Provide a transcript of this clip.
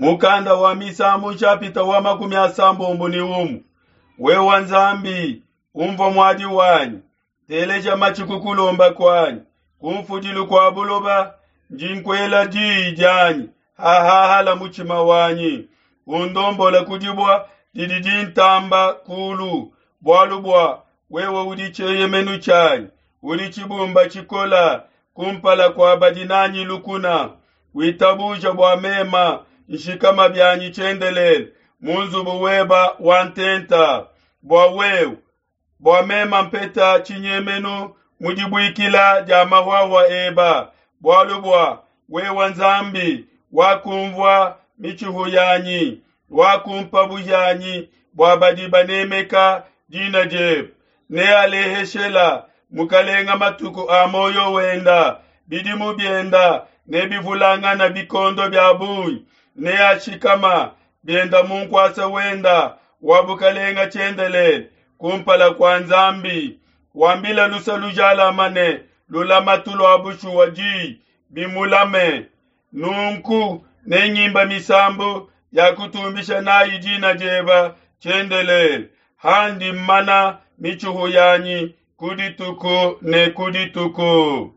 Mukanda wa Misambu nshapita wa 31. Wewa Nzambi, umvua muadi wanyi, teleja matshi ku kulomba kuanyi, ku mfudilu kua buloba ndi nkuela diyi dianyi, hahahala mutshima wanyi. Undombola ku dibua didi dintamba kulu, bualu bua wewe udi tshieyemenu tshianyi, udi tshibumba tshikola kumpala kua badi nanyi lukuna. Witabuja bua mema nshikama bianyi tshiendelele mu nzubu weba wa ntenta, bua wewe bua mema mpeta tshinyemenu mu dibuikila dia mahuahua eba, bualu bua wewe Nzambi wakumvua mitshihu yanyi, wakumpa buhianyi bua badi banemeka dina diebe. Nealeheshela mukalenga matuku a muoyo wenda, bidimu bienda nebivulangana bikondo bia bungi, neashikama bienda mu nkuasa wenda wa bukalenga tshiendelele kumpala kua Nzambi. Wambila luse lujalama ne lulamatu lua bushuwa diyi bimulame. Nunku nengimba misambu ya kutumbisha nayi dina dieba tshiendelele, handi mmana mitshihu yanyi ku dituku ne ku dituku.